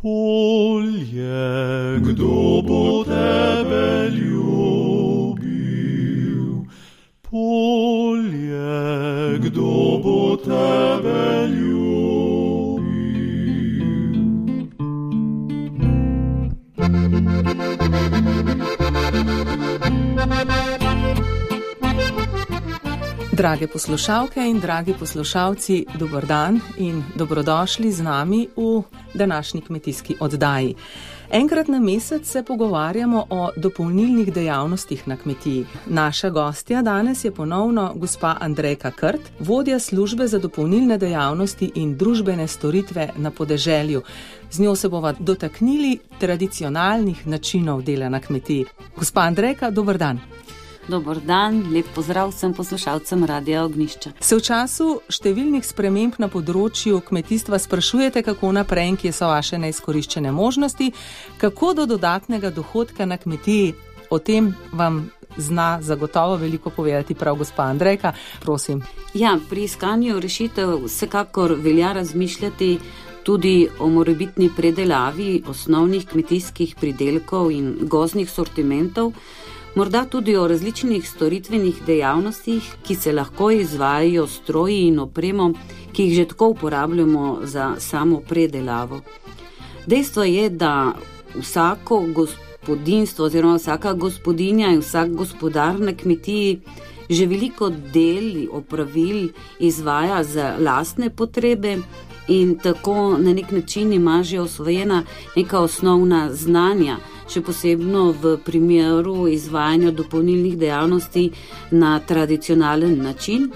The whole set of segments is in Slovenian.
Polje, kdo bo tebe ljubil? Polje, kdo bo tebe ljubil? Drage poslušalke in dragi poslušalci, dober dan in dobrodošli z nami v današnji kmetijski oddaji. Enkrat na mesec se pogovarjamo o dopolnilnih dejavnostih na kmetiji. Naša gostja danes je ponovno gospa Andrejka Krt, vodja službe za dopolnilne dejavnosti in družbene storitve na podeželju. Z njo se bova dotaknili tradicionalnih načinov dela na kmetiji. Gospa Andrejka, dober dan. Dober dan, lep pozdrav vsem poslušalcem Radia Ognjišče. Se v času številnih sprememb na področju kmetijstva sprašujete, kako naprej in kje so vaše neizkoriščene možnosti, kako do dodatnega dohodka na kmetiji? O tem vam zna zagotovo veliko povedati prav gospa Andrejka. Prosim. Ja, pri iskanju rešitev vsekakor velja razmišljati tudi o morebitni predelavi osnovnih kmetijskih pridelkov in gozdnih sortimentov, morda tudi o različnih storitvenih dejavnostih, ki se lahko izvajajo s stroji in opremo, ki jih že tako uporabljamo za samo predelavo. Dejstvo je, da vsako gospodinjstvo oziroma vsaka gospodinja in vsak gospodar na kmetiji že veliko del opravil izvaja za lastne potrebe in tako na nek način ima že osvojena neka osnovna znanja, še posebno v primeru izvajanja dopolnilnih dejavnosti na tradicionalen način.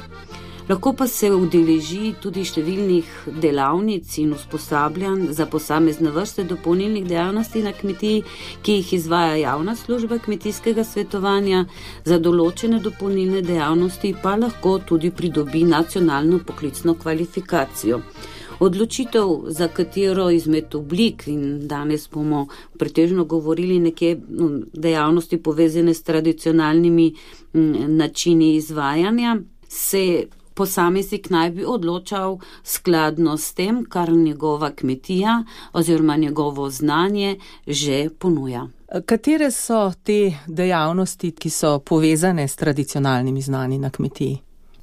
Lahko pa se udeleži tudi številnih delavnic in usposabljanj za posamezne vrste dopolnilnih dejavnosti na kmetiji, ki jih izvaja javna služba kmetijskega svetovanja, za določene dopolnilne dejavnosti pa lahko tudi pridobi nacionalno poklicno kvalifikacijo. Odločitev, za katero izmed oblik, in danes bomo pretežno govorili nekje dejavnosti povezane s tradicionalnimi načini izvajanja, se posameznik naj bi odločal skladno s tem, kar njegova kmetija oziroma njegovo znanje že ponuja. Katere so te dejavnosti, ki so povezane s tradicionalnimi znanji na kmetiji?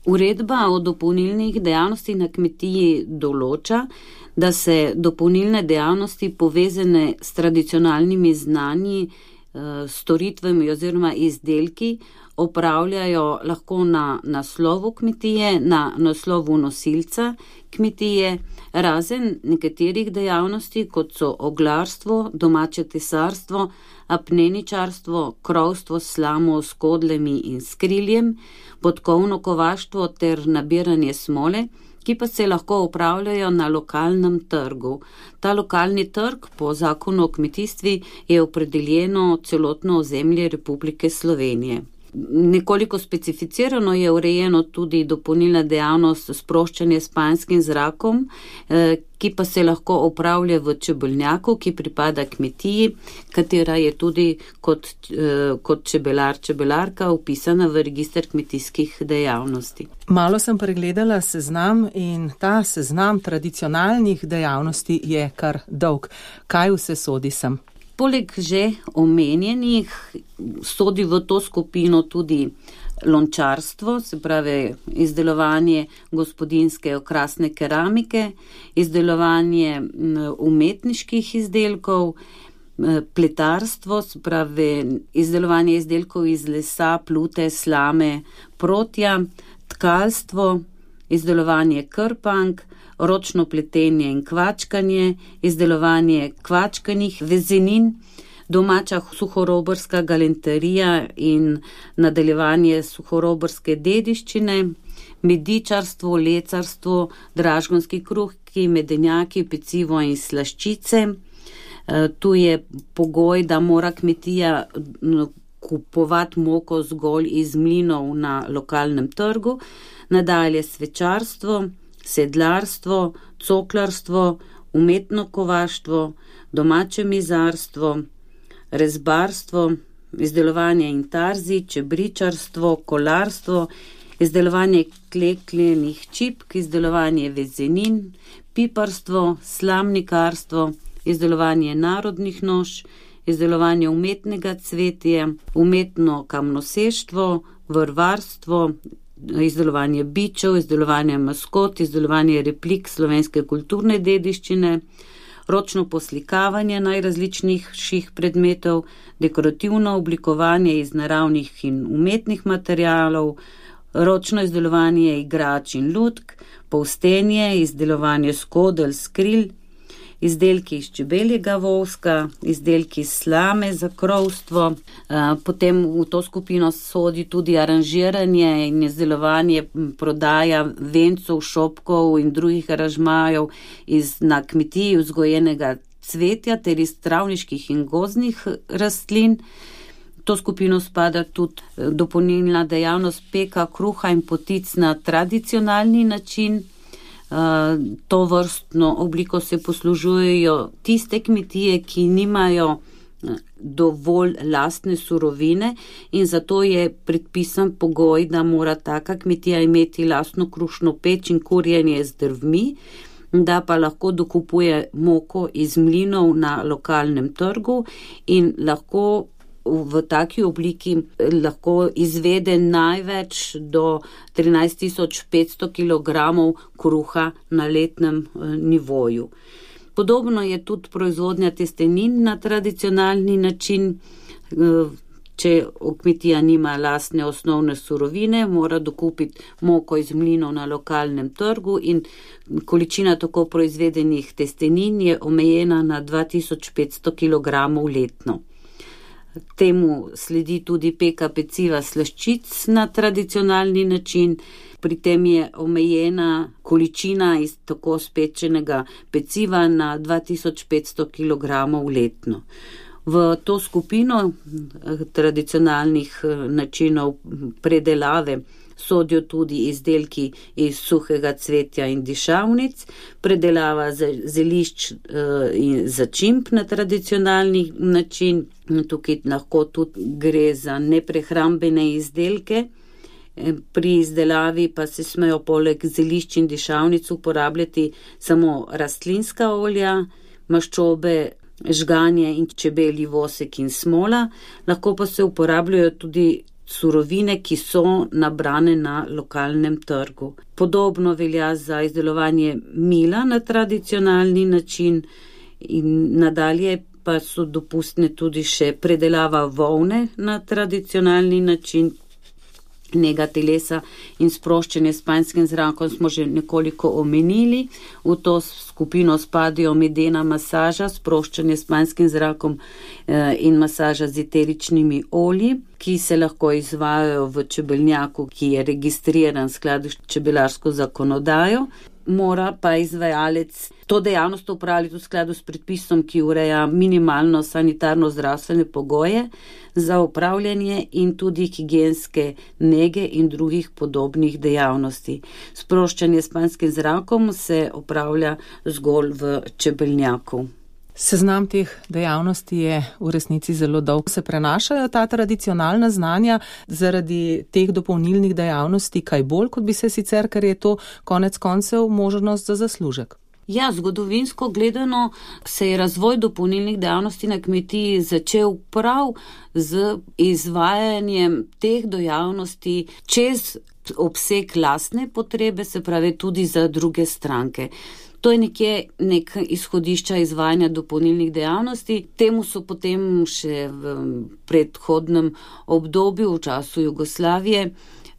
Uredba o dopolnilnih dejavnosti na kmetiji določa, da se dopolnilne dejavnosti povezane s tradicionalnimi znanji, storitvami oziroma izdelki opravljajo lahko na naslovu kmetije, na naslovu nosilca kmetije, razen nekaterih dejavnosti, kot so oglarstvo, domače tesarstvo, apneničarstvo, krovstvo s slamo, skodlemi in skriljem, podkovno kovaštvo ter nabiranje smole, ki pa se lahko opravljajo na lokalnem trgu. Ta lokalni trg po zakonu o kmetijstvi je opredeljeno celotno ozemlje Republike Slovenije. Nekoliko specificirano je urejeno tudi dopolnilna dejavnost sproščanja s panjskim zrakom, ki pa se lahko opravlja v čebelnjaku, ki pripada kmetiji, katera je tudi kot čebelarka vpisana v register kmetijskih dejavnosti. Malo sem pregledala seznam in ta seznam tradicionalnih dejavnosti je kar dolg. Kaj vse sodi sem? Poleg že omenjenih sodi v to skupino tudi lončarstvo, se pravi izdelovanje gospodinjske okrasne keramike, izdelovanje umetniških izdelkov, pletarstvo, se pravi izdelovanje izdelkov iz lesa, plute, slame, protja, tkalstvo, izdelovanje krpank, ročno pletenje in kvačkanje, izdelovanje kvačkanih vezenin, domača suhorobarska galanterija in nadaljevanje suhorobarske dediščine, medičarstvo, lecarstvo, dražgonski kruhki, medenjaki, pecivo in slaščice. Tu je pogoj, da mora kmetija kupovati moko zgolj iz mlinov na lokalnem trgu, nadalje svečarstvo, sedlarstvo, coklarstvo, umetno kovaštvo, domače mizarstvo, rezbarstvo, izdelovanje intarzi, čebričarstvo, kolarstvo, izdelovanje kleklenih čipk, izdelovanje vezenin, piparstvo, slamnikarstvo, izdelovanje narodnih noš, izdelovanje umetnega cvetja, umetno kamnoseštvo, vrvarstvo, izdelovanje bičev, izdelovanje maskot, izdelovanje replik slovenske kulturne dediščine, ročno poslikavanje najrazličnejših predmetov, dekorativno oblikovanje iz naravnih in umetnih materialov, ročno izdelovanje igrač in lutk, polstenje, izdelovanje skodel, skril, izdelki iz čebeljega voska, izdelki iz slame za krovstvo. Potem v to skupino sodi tudi aranžiranje in izdelovanje, prodaja vencov, šopkov in drugih aranžmajev na kmetiji vzgojenega cvetja ter iz travniških in gozdnih rastlin. V to skupino spada tudi dopolnilna dejavnost peka kruha in potic na tradicionalni način. To vrstno obliko se poslužujejo tiste kmetije, ki nimajo dovolj lastne surovine in zato je predpisan pogoj, da mora taka kmetija imeti lastno krušno peč in kurjenje z drvmi, da pa lahko dokupuje moko iz mlinov na lokalnem trgu in lahko v taki obliki lahko izvede največ do 13.500 kg kruha na letnem nivoju. Podobno je tudi proizvodnja testenin na tradicionalni način. Če kmetija nima lastne osnovne surovine, mora dokupiti moko iz mlinov na lokalnem trgu in količina tako proizvedenih testenin je omejena na 2500 kg letno. Temu sledi tudi peka peciva slaščic na tradicionalni način, pri tem je omejena količina iz tako spečenega peciva na 2500 kg letno. V to skupino tradicionalnih načinov predelave sodijo tudi izdelki iz suhega cvetja in dišavnic, predelava zelišč in začimb na tradicionalni način. Tukaj lahko tudi gre za neprehrambene izdelke. Pri izdelavi pa se smejo poleg zelišč in dišavnic uporabljati samo rastlinska olja, maščobe, žganje in čebelji vosek in smola, lahko pa se uporabljajo tudi surovine, ki so nabrane na lokalnem trgu. Podobno velja za izdelovanje mila na tradicionalni način in nadalje pa so dopustne tudi še predelava volne na tradicionalni način, nega telesa in sproščanje s panjskim zrakom smo že nekoliko omenili. V to skupino spadajo medena masaža, sproščanje s panjskim zrakom in masaža z eteričnimi olji, ki se lahko izvajajo v čebelnjaku, ki je registriran v skladu s čebelarsko zakonodajo. Mora pa izvajalec to dejavnost opravljati v skladu s predpisom, ki ureja minimalno sanitarno-zdravstvene pogoje za upravljanje in tudi higienske nege in drugih podobnih dejavnosti. Sproščanje s panjskim zrakom se opravlja zgolj v čebelnjaku. Seznam teh dejavnosti je v resnici zelo dolg. Se prenašajo ta tradicionalna znanja zaradi teh dopolnilnih dejavnosti kaj bolj, kot bi se sicer, ker je to konec koncev možnost za zaslužek? Ja, zgodovinsko gledano se je razvoj dopolnilnih dejavnosti na kmetiji začel prav z izvajanjem teh dejavnosti čez obseg lastne potrebe, se pravi tudi za druge stranke. To je nek izhodišča izvajanja dopolnilnih dejavnosti. Temu so potem še v predhodnem obdobju, v času Jugoslavije,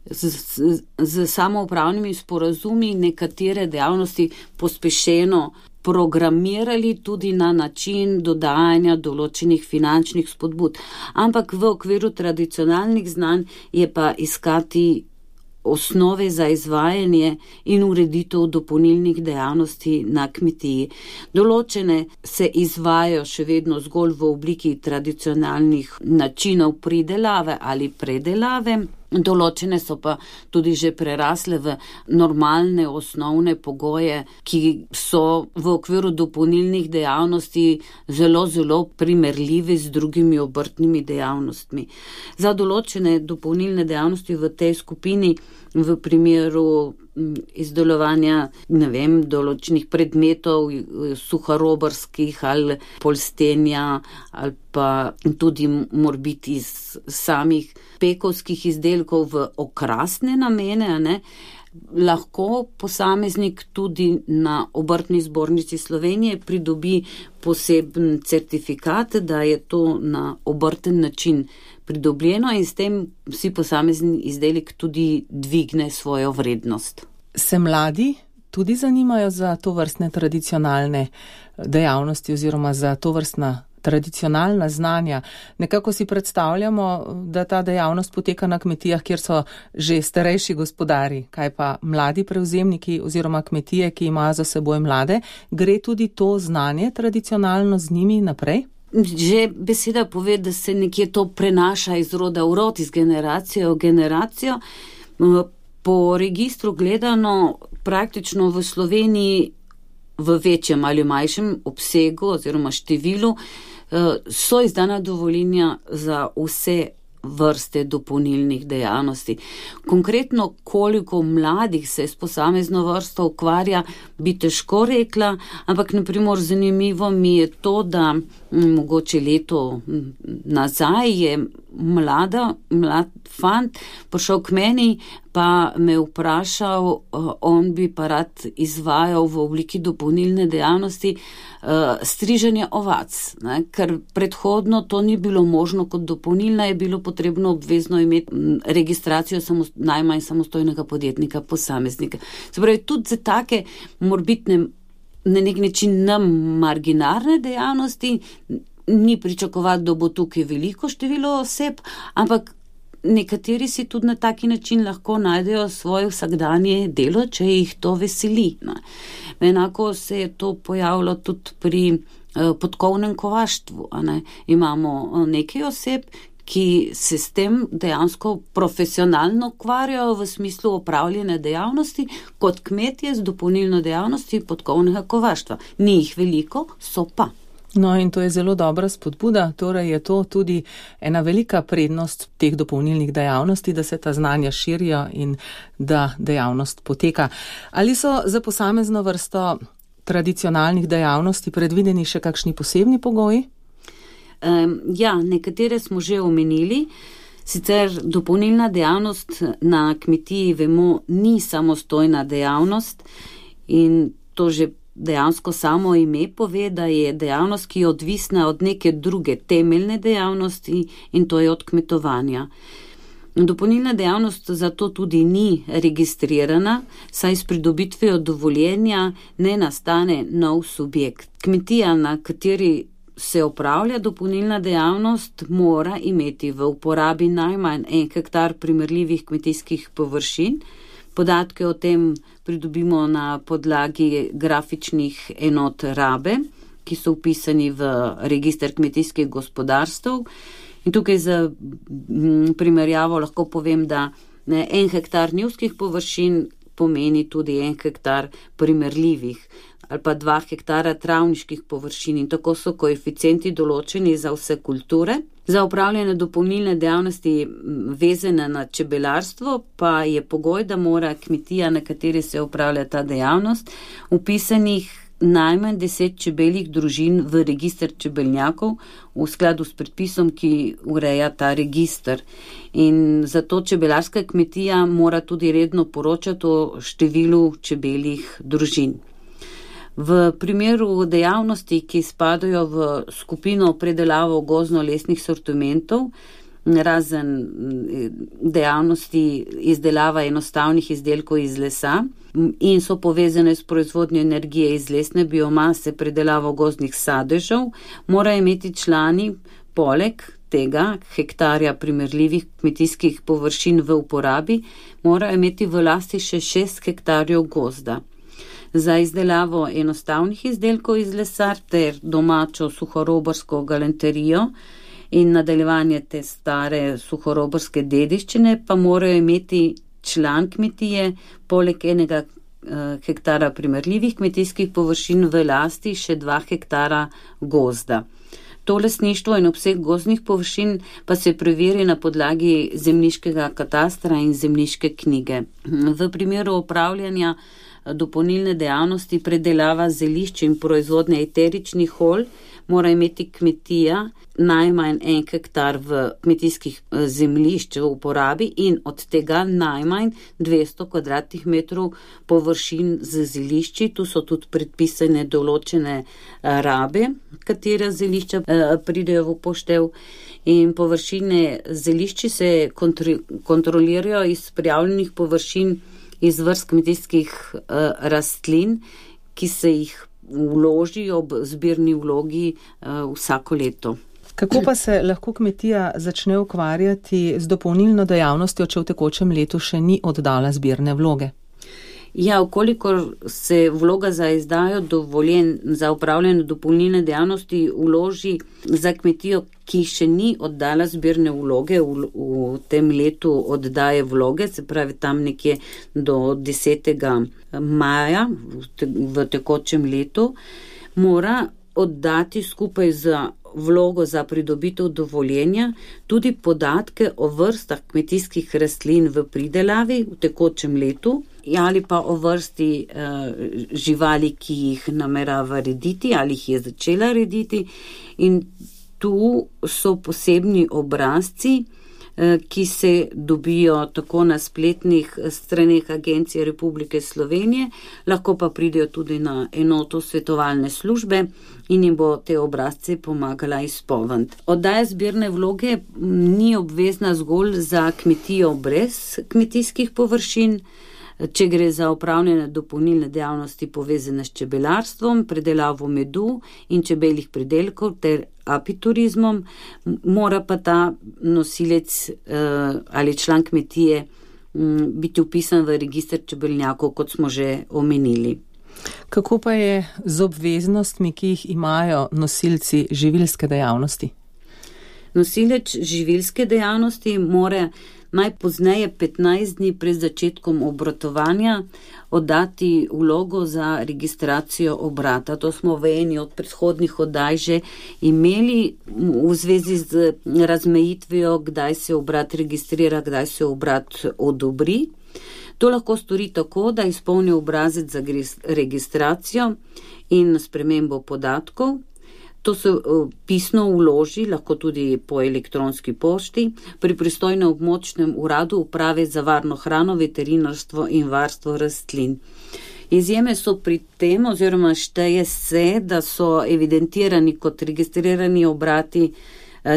z samoupravnimi sporazumi nekatere dejavnosti pospešeno programirali tudi na način dodajanja določenih finančnih spodbud. Ampak v okviru tradicionalnih znanj je pa iskati osnove za izvajanje in ureditev dopolnilnih dejavnosti na kmetiji. Določene se izvajajo še vedno zgolj v obliki tradicionalnih načinov pridelave ali predelave, določene so pa tudi že prerasle v normalne osnovne pogoje, ki so v okviru dopolnilnih dejavnosti zelo primerljivi z drugimi obrtnimi dejavnostmi. Za določene dopolnilne dejavnosti v tej skupini v primeru izdelovanja, določenih predmetov, suhorobarskih ali polstenja, ali pa tudi morbiti iz samih pekovskih izdelkov v okrasne namene, lahko posameznik tudi na Obrtni zbornici Slovenije pridobi poseben certifikat, da je to na obrten način pridobljeno in s tem si posamezni izdelek tudi dvigne svojo vrednost. Se mladi tudi zanimajo za tovrstne tradicionalne dejavnosti oziroma za tovrstna tradicionalna znanja? Nekako si predstavljamo, da ta dejavnost poteka na kmetijah, kjer so že starejši gospodari. Kaj pa mladi prevzemniki oziroma kmetije, ki imajo za seboj mlade? Gre tudi to znanje tradicionalno z njimi naprej? Že beseda pove, da se nekje to prenaša iz roda v rod, iz generacije v generacijo. Po registru gledano praktično v Sloveniji v večjem ali manjšem obsegu oziroma številu so izdana dovoljenja za vse vrste dopolnilnih dejavnosti. Konkretno, koliko mladih se s posamezno vrsto ukvarja, bi težko rekla, ampak naprimer zanimivo mi je to, da mogoče leto nazaj je mlad fant prišel k meni, pa me vprašal, on bi pa rad izvajal v obliki dopolnilne dejavnosti striženje ovac, ker predhodno to ni bilo možno kot dopolnilna, je bilo potrebno obvezno imeti registracijo najmanj samostojnega podjetnika, posameznika. Se pravi, tudi za take morbitne, na nek način marginarne dejavnosti ni pričakovati, da bo tukaj veliko število oseb, ampak nekateri si tudi na taki način lahko najdejo svoje vsakdanje delo, če jih to veseli. Enako se je to pojavilo tudi pri podkovnem kovaštvu. Imamo nekaj oseb, ki se s tem dejansko profesionalno ukvarjajo v smislu opravljene dejavnosti, kot kmetje z dopolnilno dejavnosti podkovnega kovaštva. Ni jih veliko, so pa. No, in to je zelo dobra spodbuda, torej je to tudi ena velika prednost teh dopolnilnih dejavnosti, da se ta znanja širijo in da dejavnost poteka. Ali so za posamezno vrsto tradicionalnih dejavnosti predvideni še kakšni posebni pogoji? Ja, nekatere smo že omenili. Sicer dopolnilna dejavnost na kmetiji, vemo, ni samostojna dejavnost in to že dejansko samo ime pove, da je dejavnost, ki je odvisna od neke druge temeljne dejavnosti in to je od kmetovanja. Dopolnilna dejavnost zato tudi ni registrirana, saj s pridobitvijo dovoljenja ne nastane nov subjekt. Kmetija, na kateri se opravlja dopolnilna dejavnost, mora imeti v uporabi najmanj 1 hektar primerljivih kmetijskih površin. Podatke o tem pridobimo na podlagi grafičnih enot rabe, ki so vpisani v register kmetijskih gospodarstv. In tukaj za primerjavo lahko povem, da 1 hektar njivskih površin pomeni tudi 1 hektar primerljivih ali pa 2 hektara travniških površin in tako so koeficienti določeni za vse kulture. Za upravljanje dopolnilne dejavnosti vezane na čebelarstvo pa je pogoj, da mora kmetija, na kateri se upravlja ta dejavnost, vpisanih najmanj 10 čebeljih družin v register čebelnjakov v skladu s predpisom, ki ureja ta register. In zato čebelarska kmetija mora tudi redno poročati o številu čebeljih družin. V primeru dejavnosti, ki spadajo v skupino predelavo gozdno-lesnih sortimentov, razen dejavnosti izdelava enostavnih izdelkov iz lesa in so povezane s proizvodnjo energije iz lesne biomase, predelavo gozdnih sadežev, morajo imeti člani poleg tega hektarja primerljivih kmetijskih površin v uporabi, morajo imeti v lasti še 6 hektarjev gozda. Za izdelavo enostavnih izdelkov iz lesa ter domačo suhorobarsko galanterijo in nadaljevanje te stare suhorobarske dediščine pa morajo imeti član kmetije poleg 1 hektara primerljivih kmetijskih površin v lasti še 2 hektara gozda. To lastništvo in obseg gozdnih površin pa se preveri na podlagi zemljiškega katastra in zemljiške knjige. V primeru opravljanja dopolnilne dejavnosti predelava zelišč in proizvodnje eteričnih olj mora imeti kmetija najmanj 1 hektar v kmetijskih zemljišč v uporabi in od tega najmanj 200 kvadratnih metrov površin z zelišči. Tu so tudi predpisane določene rabe, katere zelišča pridejo v upoštev, in površine zelišči se kontrolirajo iz prijavljenih površin iz vrst kmetijskih rastlin, ki se jih vloži ob zbirni vlogi vsako leto. Kako pa se lahko kmetija začne ukvarjati z dopolnilno dejavnostjo, če v tekočem letu še ni oddala zbirne vloge? Ja, ukolikor se vloga za izdajo dovoljen za upravljanje dopolnilne dejavnosti vloži za kmetijo, ki še ni oddala zbirne vloge v tem letu oddaje vloge, se pravi tam nekje do 10. maja v tekočem letu, mora oddati skupaj z vlogo za pridobitev dovoljenja tudi podatke o vrstah kmetijskih rastlin v pridelavi v tekočem letu ali pa o vrsti živali, ki jih namerava rediti ali jih je začela rediti. In tu so posebni obrazci, ki se dobijo tako na spletnih straneh Agencije Republike Slovenije, lahko pa pridejo tudi na enoto svetovalne službe in jim bo te obrazce pomagala izpolniti. Oddaja zbirne vloge ni obvezna zgolj za kmetijo brez kmetijskih površin. Če gre za upravljanje dopolnilne dejavnosti povezane s čebelarstvom, predelavo medu in čebeljih pridelkov ter apiturizmom, mora pa ta nosilec ali član kmetije biti vpisan v register čebelnjakov, kot smo že omenili. Kako pa je z obveznostmi, ki jih imajo nosilci živilske dejavnosti? Nosilec živilske dejavnosti mora najpozneje 15 dni pred začetkom obratovanja oddati vlogo za registracijo obrata. To smo v eni od predhodnih oddaj že imeli v zvezi z razmejitvijo, kdaj se obrat registrira, kdaj se obrat odobri. To lahko stori tako, da izpolni obrazec za registracijo in spremembo podatkov. To se pisno vloži, lahko tudi po elektronski pošti, pri pristojnem območnem uradu Uprave za varno hrano, veterinarstvo in varstvo rastlin. Izjeme so pri tem, oziroma šteje se, da so evidentirani kot registrirani obrati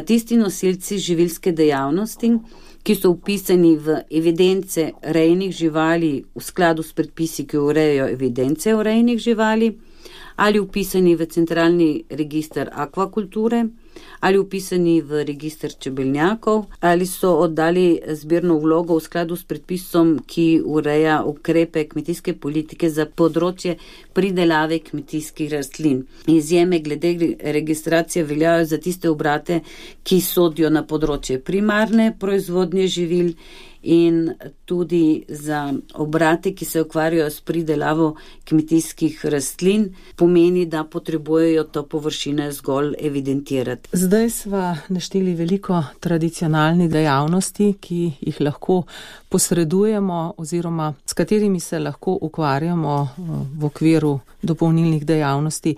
tisti nosilci živilske dejavnosti, ki so vpisani v evidence rejnih živali v skladu s predpisi, ki urejajo evidence o rejnih živali, ali vpisani v centralni register akvakulture, ali vpisani v register čebelnjakov, ali so oddali zbirno vlogo v skladu s predpisom, ki ureja ukrepe kmetijske politike za področje pridelave kmetijskih rastlin. Izjeme glede registracije veljajo za tiste obrate, ki sodijo na področje primarne proizvodnje živil, in tudi za obrate, ki se ukvarjajo s pridelavo kmetijskih rastlin, pomeni, da potrebujejo to površine zgolj evidentirati. Zdaj sva našteli veliko tradicionalnih dejavnosti, ki jih lahko posredujemo oziroma s katerimi se lahko ukvarjamo v okviru dopolnilnih dejavnosti.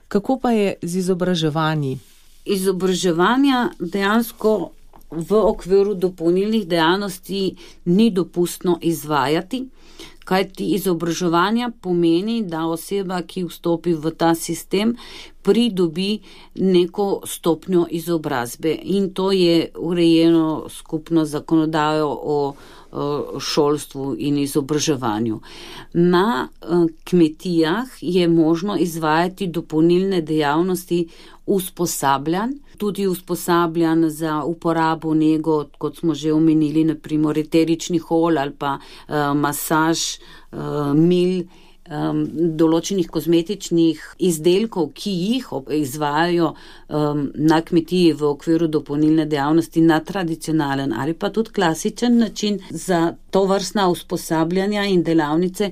Kako pa je z izobraževanji? Izobraževanja dejansko v okviru dopolnilnih dejavnosti ni dopustno izvajati, kajti izobraževanja pomeni, da oseba, ki vstopi v ta sistem, pridobi neko stopnjo izobrazbe, in to je urejeno skupno zakonodajo o šolstvu in izobraževanju. Na kmetijah je možno izvajati dopolnilne dejavnosti usposabljanj, tudi usposabljanj za uporabo nego, kot smo že omenili, naprimer eteričnih olj ali pa masaž, mil določenih kozmetičnih izdelkov, ki jih izvajajo na kmetiji v okviru dopolnilne dejavnosti na tradicionalen ali pa tudi klasičen način. Za to vrstna usposabljanja in delavnice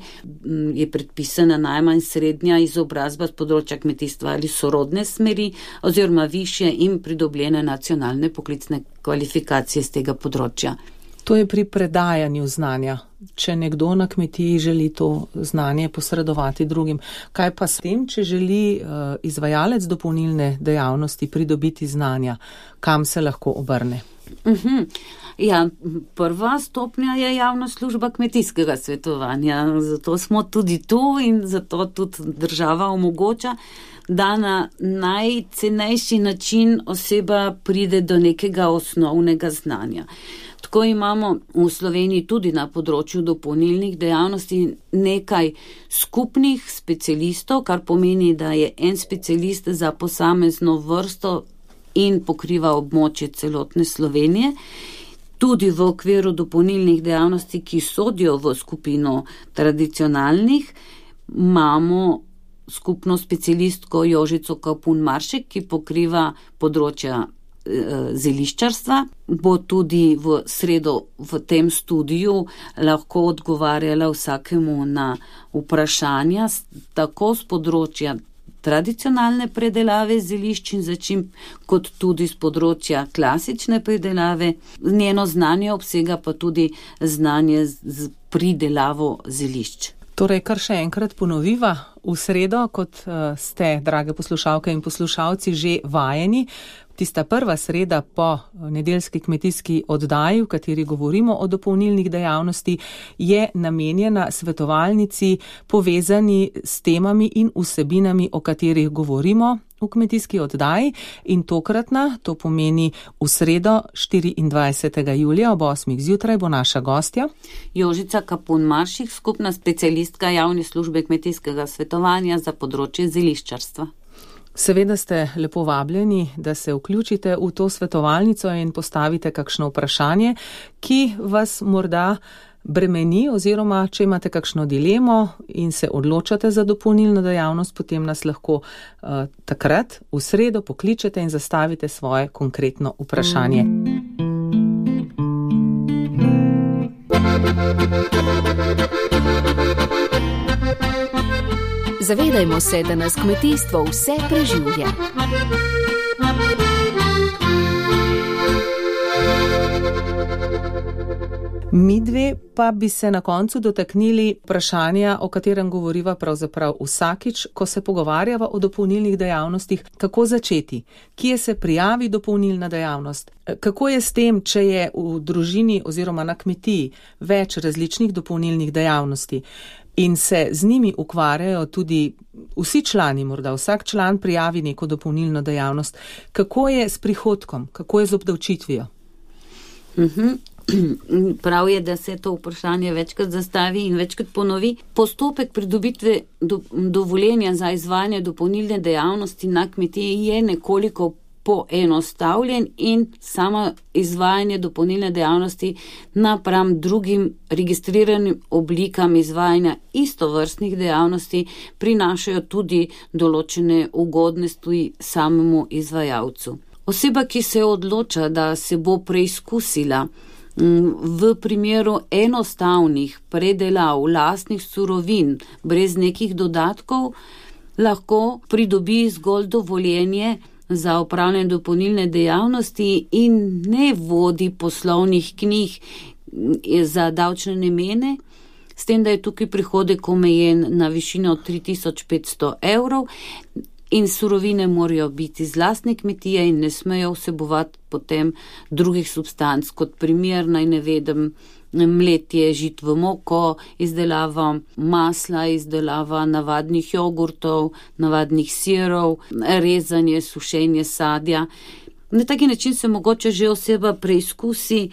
je predpisana najmanj srednja izobrazba z področja kmetijstva ali sorodne smeri oziroma višje in pridobljene nacionalne poklicne kvalifikacije z tega področja. To je pri predajanju znanja. Če nekdo na kmetiji želi to znanje posredovati drugim. Kaj pa s tem, če želi izvajalec dopolnilne dejavnosti pridobiti znanja? Kam se lahko obrne? Ja, prva stopnja je javna služba kmetijskega svetovanja. Zato smo tudi tu in zato tudi država omogoča, da na najcenejši način oseba pride do nekega osnovnega znanja. Tako imamo v Sloveniji tudi na področju dopolnilnih dejavnosti nekaj skupnih specialistov, kar pomeni, da je en specialist za posamezno vrsto in pokriva območje celotne Slovenije. Tudi v okviru dopolnilnih dejavnosti, ki sodijo v skupino tradicionalnih, imamo skupno specialistko Jožico Kapun Maršek, ki pokriva področja zeliščarstva. Bo tudi v sredo v tem studiu lahko odgovarjala vsakemu na vprašanja, tako z področja tradicionalne predelave zelišč in začimb, kot tudi z področja klasične predelave. Njeno znanje obsega pa tudi znanje z pridelavo zelišč. Torej, kar še enkrat ponoviva, v sredo, kot ste, drage poslušalke in poslušalci, že vajeni, tista prva sreda po nedeljski kmetijski oddaji, v kateri govorimo o dopolnilnih dejavnosti, je namenjena svetovalnici povezani s temami in vsebinami, o katerih govorimo v kmetijski oddaji, in tokratna, to pomeni v sredo 24. julija ob 8. zjutraj, bo naša gostja Jožica Kapun Maršek, skupna specialistka javne službe kmetijskega svetovanja za področje zeliščarstva. Seveda ste lepo vabljeni, da se vključite v to svetovalnico in postavite kakšno vprašanje, ki vas morda bremeni, oziroma če imate kakšno dilemo in se odločate za dopolnilno dejavnost, potem nas lahko takrat v sredo pokličete in zastavite svoje konkretno vprašanje. Zavedajmo se, da nas kmetijstvo vse preživlja. Midve pa bi se na koncu dotaknili vprašanja, o katerem govoriva pravzaprav vsakič, ko se pogovarjava o dopolnilnih dejavnostih. Kako začeti? Kje se prijavi dopolnilna dejavnost? Kako je s tem, če je v družini oziroma na kmetiji več različnih dopolnilnih dejavnosti in se z njimi ukvarjajo tudi vsi člani, morda vsak član prijavi neko dopolnilno dejavnost? Kako je s prihodkom? Kako je z obdavčitvijo? Prav je, da se to vprašanje večkrat zastavi in večkrat ponovi. Postopek pridobitve dovoljenja za izvajanje dopolnilne dejavnosti na kmetiji je nekoliko poenostavljen in samo izvajanje dopolnilne dejavnosti napram drugim registriranim oblikam izvajanja istovrstnih dejavnosti prinašajo tudi določene ugodnosti samemu izvajalcu. Oseba, ki se odloča, da se bo preizkusila v primeru enostavnih predelav lastnih surovin brez nekih dodatkov, lahko pridobi zgolj dovoljenje za opravljanje dopolnilne dejavnosti in ne vodi poslovnih knjig za davčne namene, s tem, da je tukaj prihodek omejen na višino 3500 evrov in surovine morajo biti z lastne kmetije in ne smejo vsebovati potem drugih substanc, kot primer naj navedem mletje žit v moko, izdelava masla, izdelava navadnih jogurtov, navadnih sirov, rezanje, sušenje sadja. Na taki način se mogoče že oseba preizkusi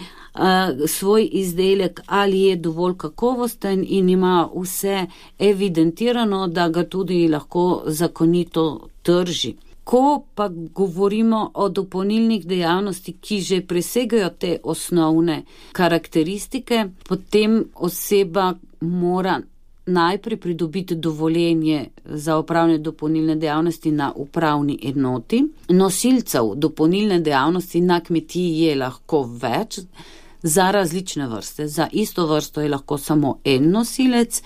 svoj izdelek, ali je dovolj kakovosten in ima vse evidentirano, da ga tudi lahko zakonito trži. Ko pa govorimo o dopolnilnih dejavnosti, ki že presegajo te osnovne karakteristike, potem oseba mora najprej pridobiti dovoljenje za opravljanje dopolnilne dejavnosti na upravni enoti. Nosilcev dopolnilne dejavnosti na kmetiji je lahko več, za različne vrste. Za isto vrsto je lahko samo en nosilec.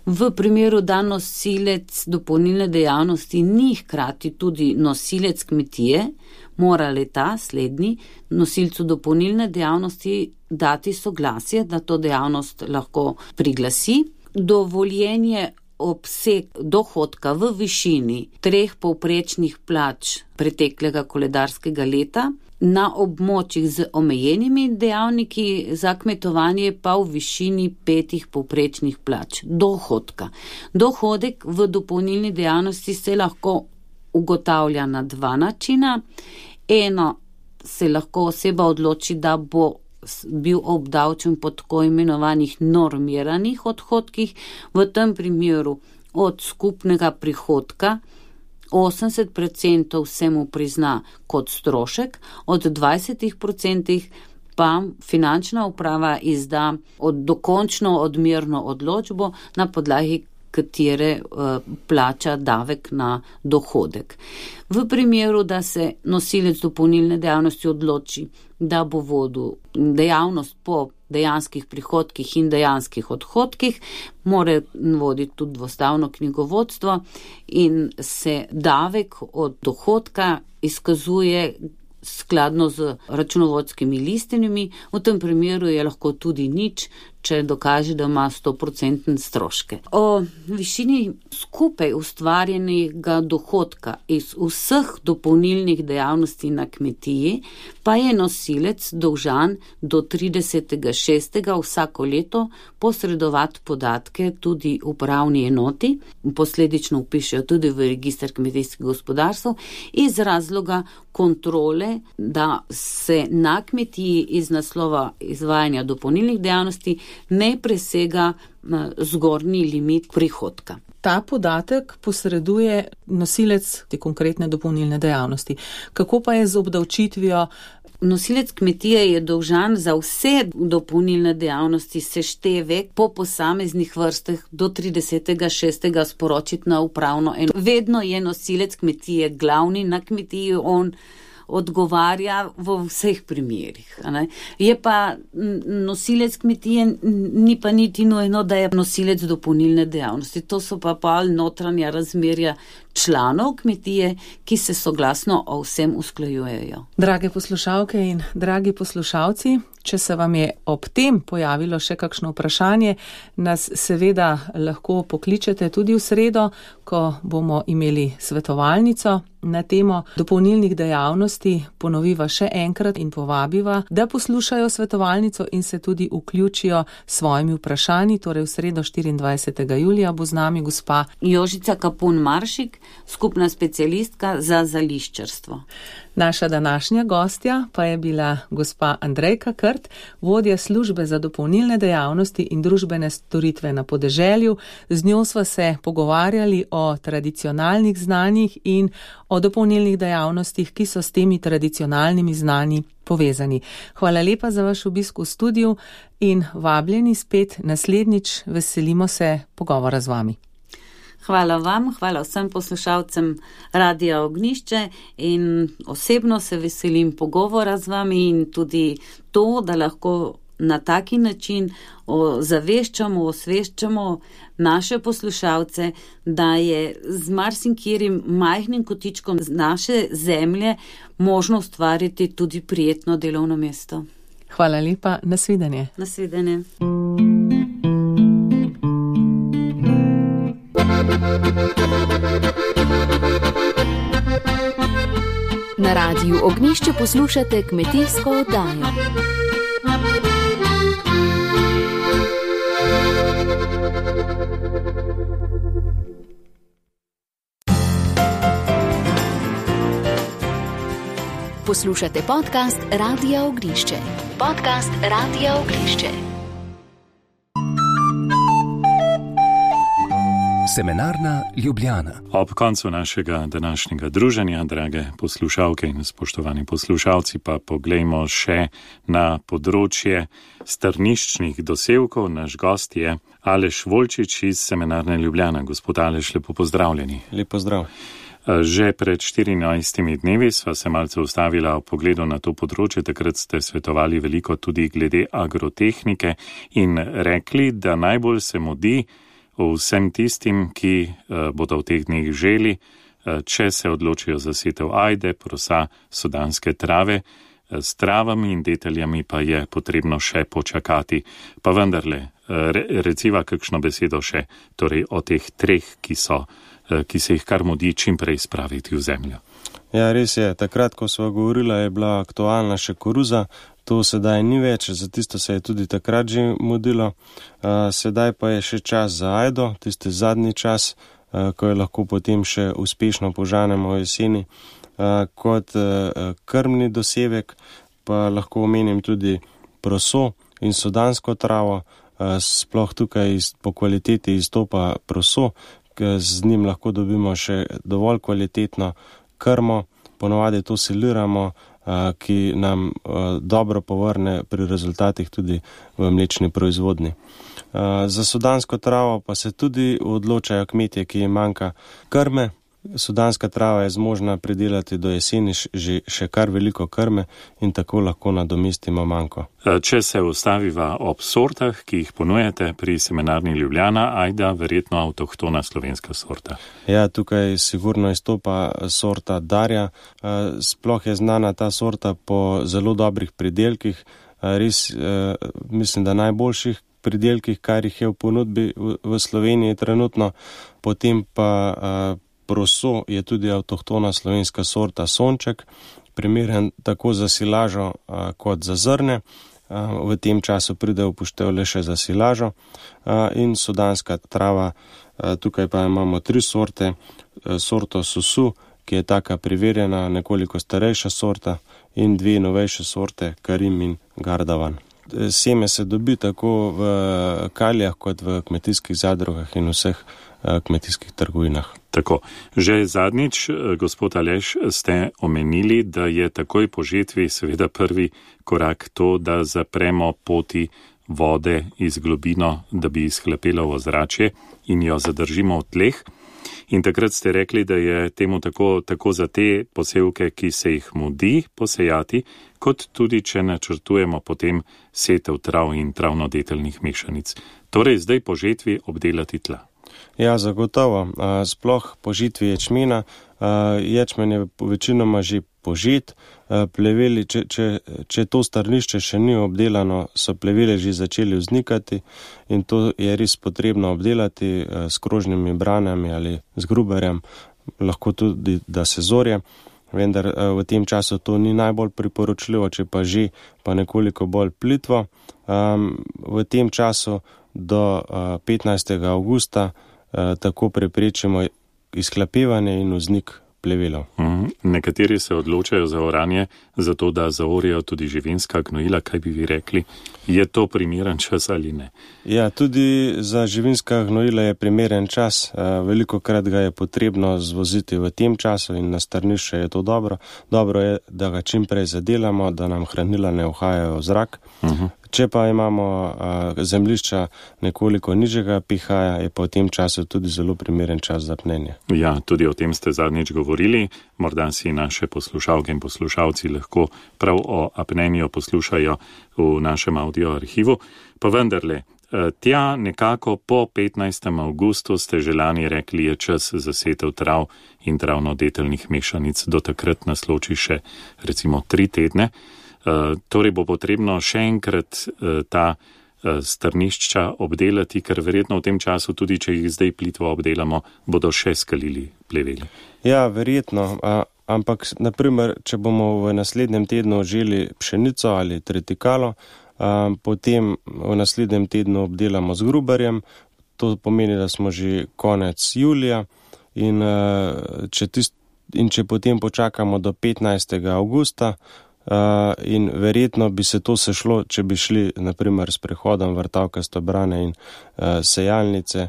V primeru, da nosilec dopolnilne dejavnosti ni hkrati tudi nosilec kmetije, mora le-ta slednji nosilcu dopolnilne dejavnosti dati soglasje, da to dejavnost lahko priglasi. Dovoljenje obseg dohodka v višini 3 povprečnih plač preteklega koledarskega leta, na območjih z omejenimi dejavniki za kmetovanje pa v višini 5 povprečnih plač dohodka. Dohodek v dopolnilni dejavnosti se lahko ugotavlja na 2 načina. Eno, se lahko oseba odloči, da bo bil obdavčen po tako imenovanih normiranih odhodkih, v tem primeru od skupnega prihodka 80% se mu prizna kot strošek, od 20% pa finančna uprava izda dokončno odmerno odločbo, na podlagi katere plača davek na dohodek. V primeru, da se nosilec dopolnilne dejavnosti odloči, da bo vodil dejavnost po dejanskih prihodkih in dejanskih odhodkih, mora voditi tudi dvostavno knjigovodstvo in se davek od dohodka izkazuje skladno z računovodskimi listinami. V tem primeru je lahko tudi nič, če dokaže, da ima 100% stroške. O višini skupaj ustvarjenega dohodka iz vseh dopolnilnih dejavnosti na kmetiji pa je nosilec dolžan do 30.6. vsako leto posredovati podatke tudi upravni enoti, posledično vpišejo tudi v register kmetijskih gospodarstv, iz razloga kontrole, da se na kmetiji iz naslova izvajanja dopolnilnih dejavnosti ne presega zgornji limit prihodka. Ta podatek posreduje nosilec te konkretne dopolnilne dejavnosti. Kako pa je z obdavčitvijo? Nosilec kmetije je dolžan za vse dopolnilne dejavnosti seštevek po posameznih vrstah do 30.6. sporočiti na upravno enoto. Vedno je nosilec kmetije glavni na kmetiji, on odgovarja v vseh primerih. Je pa nosilec kmetije, ni pa niti nujno, da je nosilec dopolnilne dejavnosti. To so pa notranja razmerja članov kmetije, ki se soglasno o vsem usklajujejo. Drage poslušalke in dragi poslušalci, če se vam je ob tem pojavilo še kakšno vprašanje, nas seveda lahko pokličete tudi v sredo, ko bomo imeli svetovalnico na temo dopolnilnih dejavnosti. Ponoviva še enkrat in povabiva, da poslušajo svetovalnico in se tudi vključijo s svojimi vprašanji. Torej v sredo 24. julija bo z nami gospa Jožica Kapun-Maršik, skupna specialistka za zališčarstvo. Naša današnja gostja pa je bila gospa Andrejka Krt, vodja službe za dopolnilne dejavnosti in družbene storitve na podeželju. Z njo sva se pogovarjali o tradicionalnih znanjih in o dopolnilnih dejavnostih, ki so s temi tradicionalnimi znanji povezani. Hvala lepa za vaš obisk v studiu in vabljeni spet naslednjič, veselimo se pogovora z vami. Hvala vam, hvala vsem poslušalcem Radia Ognjišče in osebno se veselim pogovora z vami in tudi to, da lahko na taki način osveščamo naše poslušalce, da je z marsikjerim majhnim kotičkom naše zemlje možno ustvariti tudi prijetno delovno mesto. Hvala lepa, nasvidenje. Nasvidenje. Na Radiu Ognjišče poslušate kmetijsko oddajo. Poslušate podcast Radia Ognjišče. Podcast Radia Ognjišče. Semenarna Ljubljana. Ob koncu našega današnjega druženja, drage poslušalke in spoštovani poslušalci, pa poglejmo še na področje strniščnih dosevkov. Naš gost je Aleš Volčič iz Semenarne Ljubljana. Gospod Aleš, lepo pozdravljeni. Lep pozdrav. Že pred 14 dnevi sva se malce ustavila v pogledu na to področje, takrat ste svetovali veliko tudi glede agrotehnike in rekli, da najbolj se mudi vsem tistim, ki bodo v teh dneh želi, če se odločijo za setev ajde, prosa, sudanske trave, s travami in deteljami pa je potrebno še počakati. Pa vendarle, reciva kakšno besedo še, torej o teh treh, ki se jih kar mudi čim prej spraviti v zemljo. Ja, res je. Takrat, ko sva govorila, je bila aktualna še koruza. To sedaj ni več, za tisto se je tudi takrat že mudilo. Sedaj pa je še čas za ajdo, tisti zadnji čas, ko jo lahko potem še uspešno požanemo v jeseni. Kot krmni dosevek pa lahko omenim tudi proso in sudansko travo. Sploh tukaj po kvaliteti izstopa proso, z njim lahko dobimo še dovolj kvalitetno krmo, ponovadi to siliramo, ki nam dobro povrne pri rezultatih tudi v mlečni proizvodnji. Za sudansko travo pa se tudi odločajo kmetje, ki jim manjka krme. Sudanska trava je zmožna pridelati do jeseni še kar veliko krme in tako lahko nadomestimo manjko. Če se ustaviva ob sortah, ki jih ponujete pri Semenarni Ljubljana, ajda verjetno avtohtona slovenska sorta. Ja, tukaj sigurno izstopa sorta Darja. Sploh je znana ta sorta po zelo dobrih pridelkih, res mislim, da najboljših pridelkih, kar jih je v ponudbi v Sloveniji trenutno. Potem pa proso je tudi avtohtona slovenska sorta Sonček, primeren tako za silažo kot za zrne. V tem času pride upoštev le še za silažo. In sudanska trava, tukaj pa imamo 3 sorte. Sorto Susu, ki je taka preverjena, nekoliko starejša sorta, in 2 novejše sorte, Karim in Gardavan. Seme se dobi tako v kaljah kot v kmetijskih zadrugah in vseh kmetijskih trgovinah. Tako, že zadnjič, gospod Aleš, ste omenili, da je takoj po žetvi seveda prvi korak to, da zapremo poti vode iz globino, da bi izhlapela v ozračje in jo zadržimo v tleh. In takrat ste rekli, da je temu tako za te posevke, ki se jih mudi posejati, kot tudi, če načrtujemo potem setev trav in travno-deteljnih mešanic. Torej, zdaj po žetvi obdelati tla. Ja, zagotovo. Sploh po žitvi ječmena. Ječmen je večinoma že požet. Pleveli, če to strnišče še ni obdelano, so pleveli že začeli vznikati in to je res potrebno obdelati s krožnimi branami ali z gruberjem, lahko tudi, da se zorje. Vendar v tem času to ni najbolj priporočljivo, če pa že, pa nekoliko bolj plitvo. V tem času do 15. avgusta tako preprečimo izhlapevanje in vznik plevelov. Nekateri se odločajo za oranje, zato da zaorijo tudi živinska gnojila. Kaj bi vi rekli? Je to primeren čas ali ne? Ja, tudi za živinska gnojila je primeren čas. Velikokrat ga je potrebno zvoziti v tem času in na strnišče je to dobro. Dobro je, da ga čim prej zadelamo, da nam hranila ne uhajajo v zrak. Če pa imamo zemljišča nekoliko nižjega pH-ja, je pa v tem času tudi zelo primeren čas za pnenje. Ja, tudi o tem ste zadnjič govorili. Morda si naše poslušalke in poslušalci lahko prav o apnenju poslušajo v našem audio arhivu. Pa vendarle, tja nekako po 15. avgustu ste že lani rekli, je čas za setev trav in travno-deteljnih mešanic. Do takrat nas loči še recimo 3 tedne. Torej bo potrebno še enkrat ta strnišča obdelati, ker verjetno v tem času, tudi če jih zdaj plitvo obdelamo, bodo še skalili pleveli. Ja, verjetno, ampak naprimer, če bomo v naslednjem tednu želi pšenico ali tretikalo, potem v naslednjem tednu obdelamo z gruberjem, to pomeni, da smo že konec julija in če potem počakamo do 15. avgusta, in verjetno bi se to sešlo, če bi šli naprimer s prehodom vrtavkasto brane in sejalnice,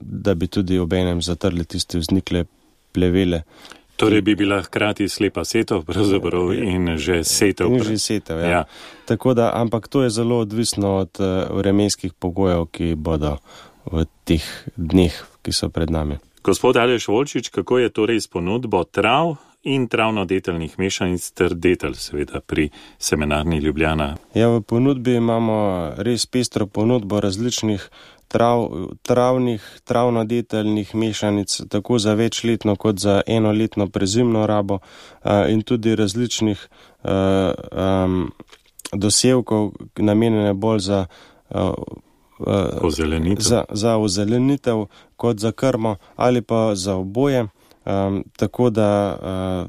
da bi tudi obenem zatrli tiste vznikle plevele. Torej bi bila hkrati slepa setev pravzaprav in že setev. In že setev, ja. Tako da, ampak to je zelo odvisno od vremenskih pogojev, ki bodo v teh dneh, ki so pred nami. Gospod Aleš Volčič, kako je torej s ponudbo trav in travno-deteljnih mešanic ter detelj, seveda pri Semenarni Ljubljana? Ja, v ponudbi imamo res pestro ponudbo različnih travno-deteljnih mešanic, tako za večletno kot za enoletno prezimno rabo in tudi različnih dosevkov, namenjene bolj za ozelenitev kot za krmo ali pa za oboje. Tako da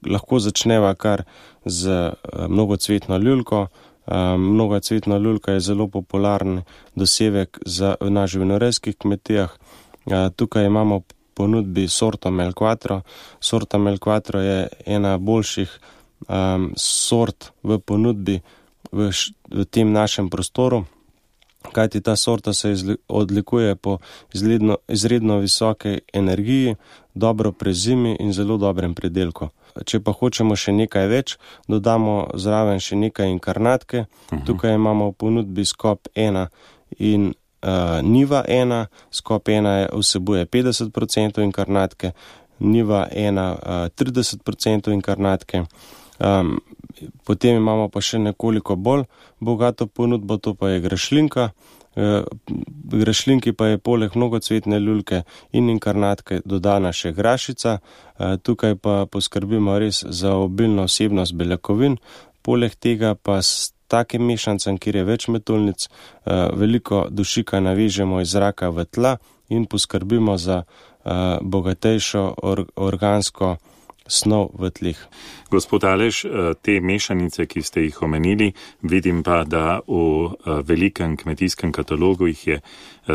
lahko začneva kar z mnogocvetno ljulko. Mnogocvetna ljulka je zelo popularen dosevek na živinorejskih kmetijah. Tukaj imamo ponudbi sorto Melquatro. Sorta Melquatro je ena boljših sort v ponudbi v tem našem prostoru, kajti ta sorta se odlikuje po izredno visoke energiji, dobro prezimi in zelo dobrem pridelku. Če pa hočemo še nekaj več, dodamo zraven še nekaj inkarnatke. Tukaj imamo v ponudbi skop 1 in niva 1. Skop 1 vsebuje 50% inkarnatke, niva 1 30% inkarnatke. Potem imamo pa še nekoliko bolj bogato ponudbo, to pa je grašlinka. Grašlinki pa je poleg mnogocvetne ljulke in inkarnatke dodana še grašica. Tukaj pa poskrbimo res za obilno vsebnost beljakovin. Poleg tega pa s takim mešancem, kjer je več metulnic, veliko dušika navežemo iz zraka v tla in poskrbimo za bogatejšo organsko snov v tleh. Gospod Aleš, te mešanice, ki ste jih omenili, vidim pa, da v velikem kmetijskem katalogu jih je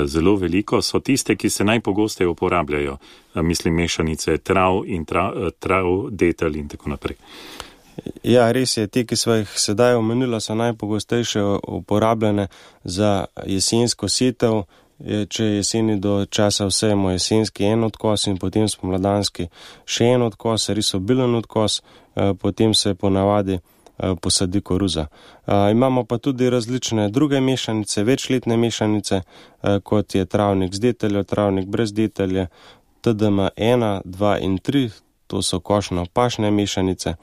zelo veliko, so tiste, ki se najpogosteje uporabljajo, mislim mešanice trav in trav, detelj in tako naprej. Ja, res je, te, ki smo jih sedaj omenili, so najpogostejše uporabljene za jesensko setev. Če jeseni do časa vsejemo jesenski en odkos in potem spomladanski še en odkos, res obilen odkos, potem se ponavadi posadi koruza. Imamo pa tudi različne druge mešanice, večletne mešanice, kot je travnik z deteljo, travnik brez detelje, TDM 1, 2 in 3, to so košno-pašne mešanice,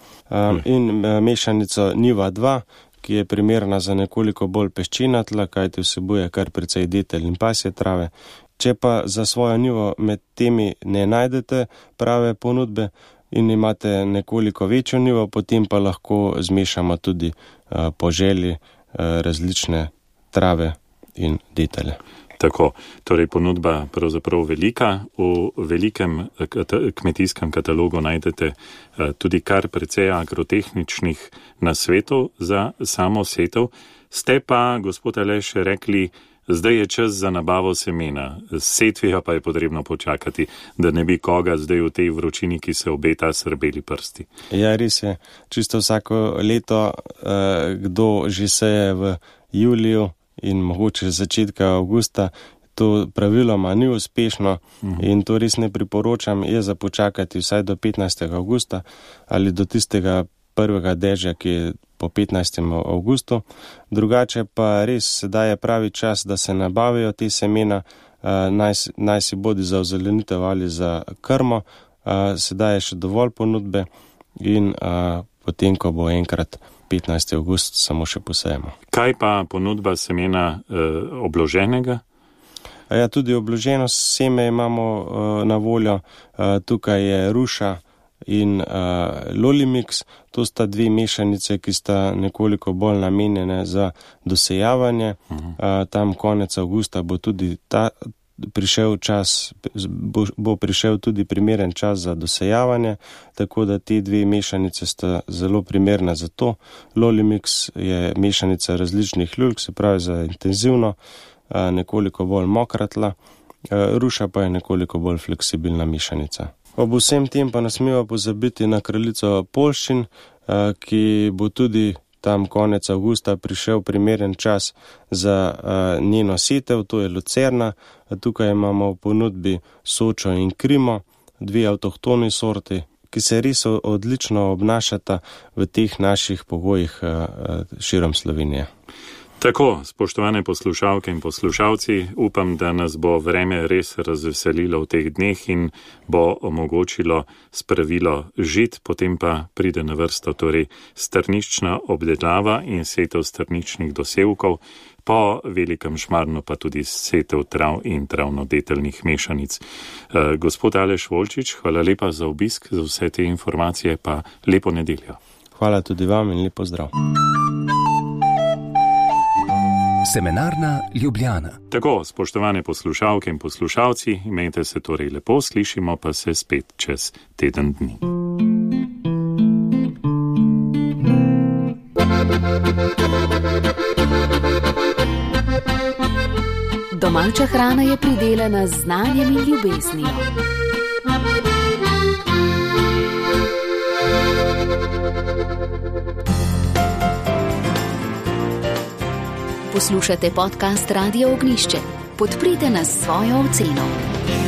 in mešanico niva 2, ki je primerna za nekoliko bolj peščena tla, kajti vsebuje kar precej detelj in pasje trave. Če pa za svojo njivo med temi ne najdete prave ponudbe in imate nekoliko večjo njivo, potem pa lahko zmešamo tudi po želji različne trave in detelje. Tako, torej ponudba pravzaprav velika. V velikem kmetijskem katalogu najdete tudi kar precej agrotehničnih nasvetov za samo setev. Ste pa, gospod Aleš, rekli, zdaj je čas za nabavo semena. Setvijo pa je potrebno počakati, da ne bi koga zdaj v tej vročini, ki se obeta, srbeli prsti. Ja, res je. Čisto vsako leto, kdo že seje v juliju, in mogoče začetka avgusta, to praviloma ni uspešno in to res ne priporočam, je za počakati vsaj do 15. avgusta ali do tistega prvega dežja, ki je po 15. avgustu. Drugače pa res sedaj je pravi čas, da se nabavijo te semena, naj si bodi za ozelenitev ali za krmo. Sedaj je še dovolj ponudbe in potem, ko bo enkrat 15. avgust, samo še posejemo. Kaj pa ponudba semena obloženega? Ja, tudi obloženo seme imamo na voljo. Tukaj je ruša in lolimix. To sta dve mešanice, ki sta nekoliko bolj namenjene za dosejavanje. Tam konec avgusta bo tudi bo prišel tudi primeren čas za dosejavanje, tako da te dve mešanice sta zelo primerne za to. Lolimix je mešanica različnih ljulk, se pravi za intenzivno, nekoliko bolj mokra tla, ruša pa je nekoliko bolj fleksibilna mešanica. Ob vsem tem pa ne smemo pozabiti na kraljico poljščin, ki bo tudi tam konec avgusta prišel primeren čas za njeno setev, to je lucerna. Tukaj imamo v ponudbi Sočo in Krimo, 2 avtohtoni sorti, ki se res odlično obnašata v teh naših pogojih širom Slovenije. Tako, spoštovane poslušalke in poslušalci, upam, da nas bo vreme res razveselilo v teh dneh in bo omogočilo spravilo žit, potem pa pride na vrsto torej strnična obdelava in setev strničnih dosevkov, po velikem šmarnu pa tudi setev trav in travnodeteljnih mešanic. Gospod Aleš Volčič, hvala lepa za obisk, za vse te informacije, pa lepo nedeljo. Hvala tudi vam in lepo zdrav. Semenarna Ljubljana. Tako, spoštovane poslušalke in poslušalci, imejte se torej lepo, slišimo pa se spet čez teden dni. Domača hrana je pridelana z znanjem in ljubeznijo. Poslušate podcast Radio Ognjišče. Podprite nas s svojo oceno.